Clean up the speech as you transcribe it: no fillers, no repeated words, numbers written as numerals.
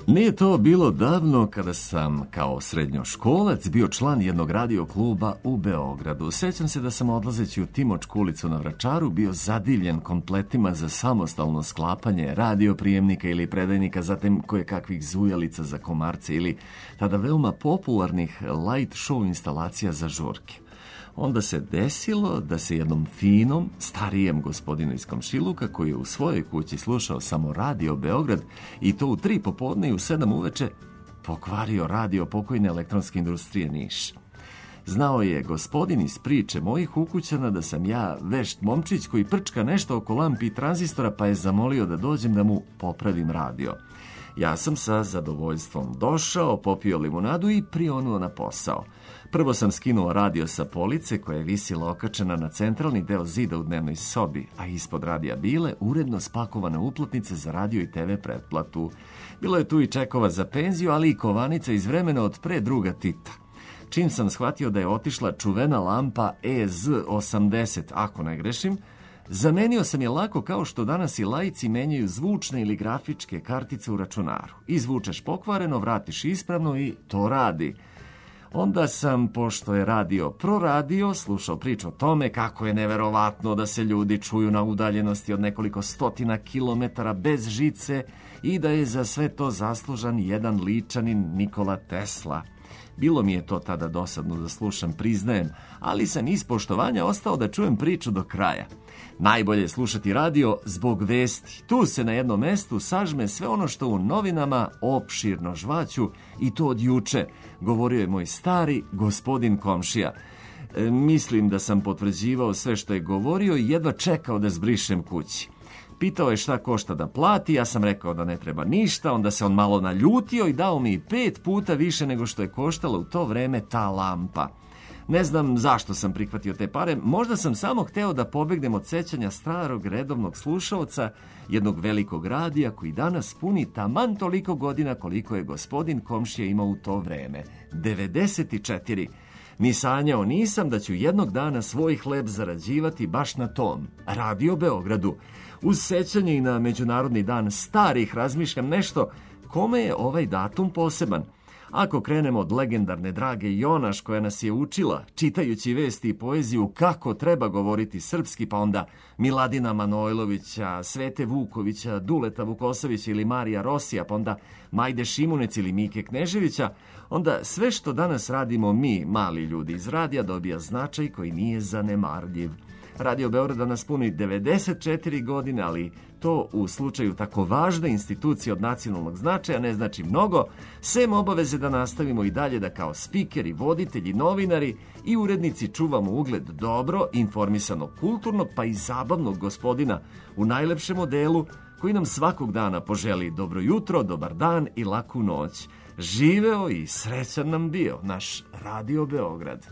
Nije to bilo davno kada sam kao srednjoškolac bio član jednog radio kluba u Beogradu. Sećam se da sam odlazeći u Timočku ulicu na Vračaru bio zadivljen kompletima za samostalno sklapanje radioprijemnika ili predajnika, zatim kojekakvih zujalica za komarce ili tada veoma popularnih light show instalacija za žurke. Onda se desilo da se jednom finom, starijem gospodinu iz komšiluka, koji je u svojoj kući slušao samo Radio Beograd i to u 3 popodne i u 7 uveče, pokvario radio pokojne elektronske industrije Niš. Znao je gospodin iz priče mojih ukućana da sam ja vešt momčić koji prčka nešto oko lampi i tranzistora, pa je zamolio da dođem da mu popravim radio. Ja sam sa zadovoljstvom došao, popio limunadu i prionuo na posao. Prvo sam skinuo radio sa police koja je visila okačena na centralni deo zida u dnevnoj sobi, a ispod radija bile uredno spakovane uplatnice za radio i TV pretplatu. Bilo je tu i čekova za penziju, ali i kovanica iz vremena od pre druga Tita. Čim sam shvatio da je otišla čuvena lampa EZ80, ako ne grešim, zamenio sam je lako kao što danas i laici menjaju zvučne ili grafičke kartice u računaru. Izvučeš pokvareno, vratiš ispravno i to radi. Onda sam, pošto je radio proradio, slušao priču o tome kako je neverovatno da se ljudi čuju na udaljenosti od nekoliko stotina kilometara bez žice i da je za sve to zaslužan jedan ličanin Nikola Tesla. Bilo mi je to tada dosadno da slušam, priznajem, ali sam iz poštovanja ostao da čujem priču do kraja. Najbolje je slušati radio zbog vesti. Tu se na jednom mestu sažme sve ono što u novinama opširno žvaću i to od juče, govorio je moj stari gospodin komšija. Mislim da sam potvrđivao sve što je govorio i jedva čekao da zbrišem kući. Pitao je šta košta da plati, ja sam rekao da ne treba ništa, onda se on malo naljutio i dao mi 5 puta više nego što je koštala u to vreme ta lampa. Ne znam zašto sam prihvatio te pare, možda sam samo hteo da pobegnem od sećanja starog redovnog slušaoca, jednog velikog radija koji danas puni taman toliko godina koliko je gospodin komšija imao u to vreme, 94. Ni sanjao nisam da ću jednog dana svoj hleb zarađivati baš na tom, Radio Beogradu. Uz sećanje i na Međunarodni dan starih razmišljam nešto kome je ovaj datum poseban. Ako krenemo od legendarne Drage Jonaš koja nas je učila, čitajući vesti i poeziju, kako treba govoriti srpski, pa onda Miladina Manojlovića, Svete Vukovića, Duleta Vukosovića ili Marija Rosija, pa onda Majde Šimunec ili Mike Kneževića, onda sve što danas radimo mi, mali ljudi iz radija, dobija značaj koji nije zanemarljiv. Radio Beograda nas puni 94 godine, ali to u slučaju tako važne institucije od nacionalnog značaja ne znači mnogo, sem obaveze da nastavimo i dalje da kao spikeri, voditelji, novinari i urednici čuvamo ugled dobro, informisanog, kulturnog pa i zabavnog gospodina u najlepšem modelu koji nam svakog dana poželi dobro jutro, dobar dan i laku noć. Živeo i srećan nam bio naš Radio Beograd.